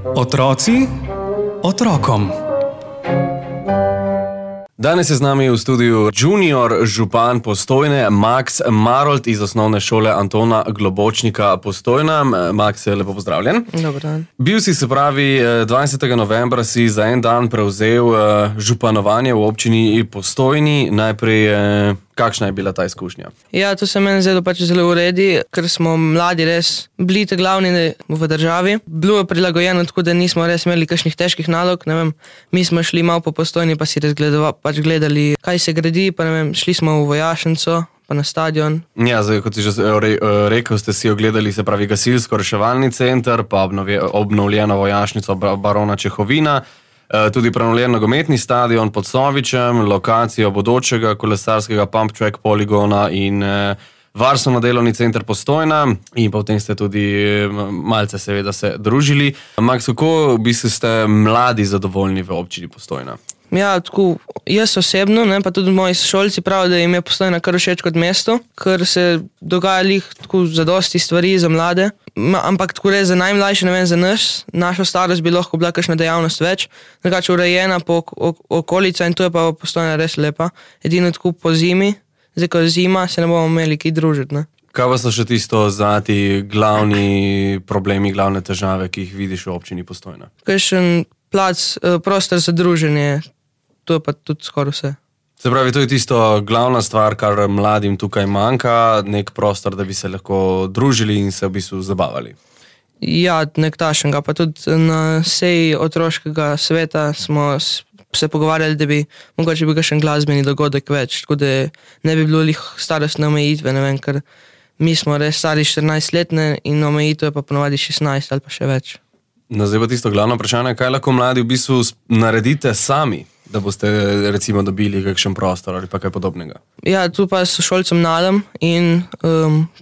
Otroci otrokom. Danes je z nami v studiu junior župan Postojne Max Marolt iz osnovne šole Antona Globočnika Postojna. Max, lepo pozdravljen. Dober dan. Bil si, se pravi, 20. novembra si za en dan prevzel županovanje v občini Postojni. Najprej, kakšna je bila ta izkušnja? Ja, to se meni zdelo pač zelo uredi, ker smo mladi res bili te glavni v državi. Bilo je prilagojeno tako, da nismo res imeli kakšnih težkih nalog, ne vem, mi smo šli malo po Postojni, pa si gledali, kaj se gradi, pa ne vem, šli smo v vojašnico, pa na stadion. Ja, zdaj, kot si že rekel, ste si ogledali, se pravi, gasilsko-reševalni center, pa obnovljeno vojašnico barona Čehovina, tudi prenovljen nogometni stadion pod Sovičem, lokacijo bodočega kolesarskega pump track poligona in varstveno-delovni center Postojna, in potem ste tudi malce seveda se družili. Max, kako bi ste mladi zadovoljni v občini Postojna? Ja, tako, jaz osebno, ne, pa tudi moji šolci pravijo, da jim je Postojna kar všeč kot mesto, ker se dogaja tako zadosti stvari za mlade, ampak tako res za najmlajše, ne vem, za našo starost bi lahko bila kakšna dejavnost več, drugače urejena po okolica, in to je pa Postojna res lepa. Edino tako po zimi, zdaj ko je zima, se ne bomo imeli kaj družiti, ne. Kaj pa so še tisto ti glavni problemi, glavne težave, ki jih vidiš v občini Postojna? Kakšen plac, prostor za druženje, to je pa tudi skoraj vse. Se pravi, to je tisto glavna stvar, kar mladim tukaj manjka, nek prostor, da bi se lahko družili in se v bistvu zabavali. Ja, nek tašenga, pa tudi na seji otroškega sveta smo se pogovarjali, da bi mogoče bil kakšen glasbeni dogodek več, tako da ne bi bilo starostne omejitve, ne vem, ker mi smo res stari 14 letne in omejitev je pa ponovadi 16 ali pa še več. No, zdaj pa tisto glavno vprašanje, kaj lahko mladi v bistvu naredite sami, da boste recimo dobili kakšen prostor ali pa kaj podobnega? Ja, tu pa s šolcem Nadom in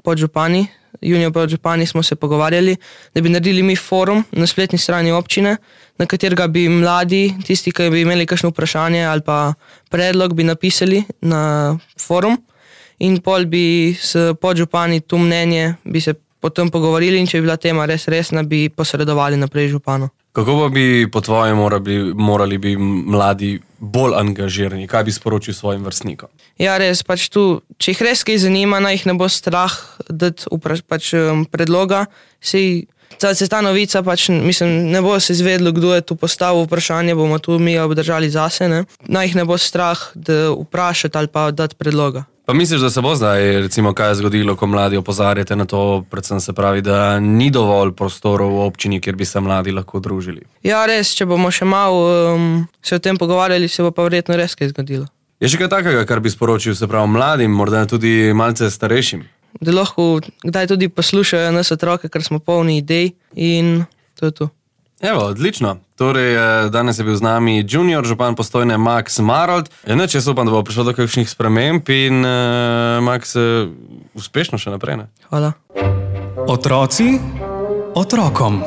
podžupani, junior podžupani smo se pogovarjali, da bi naredili mi forum na spletni strani občine, na katerega bi mladi, tisti, ki bi imeli kakšno vprašanje ali pa predlog, bi napisali na forum in pol bi s podžupani to mnenje bi se potem pogovorili, in če bi bila tema res resna, bi posredovali naprej županu. Kako pa bi po tvojem morali bi mladi bolj angažirani? Kaj bi sporočil svojim vrstnikom? Ja, res, pač tu, če jih res kaj zanima, naj jih ne bo strah dati predloga. Se ta novica, mislim, ne bo se izvedlo, kdo je tu postavil vprašanje, bomo tu mi obdržali zase, ne? Naj jih ne bo strah, da vprašati ali pa dati predloga. Pa misliš, da se bo zdaj, recimo, kaj je zgodilo, ko mladi opozarjate na to, predvsem se pravi, da ni dovolj prostorov v občini, kjer bi se mladi lahko družili? Ja, res, če bomo še malo se o tem pogovarjali, se bo pa verjetno res kaj zgodilo. Je še kaj takega, kar bi sporočil, se pravi, mladim, morda tudi malce starejšim? Da lahko kdaj tudi poslušajo nas otroke, ker smo polni idej, in to je to. Evo, odlično. Torej, danes je bil z nami junior župan Postojne Max Marolt. Jaz upam, da bo prišlo do kakšnih sprememb in Max, uspešno še naprej, ne? Hvala. Otroci otrokom.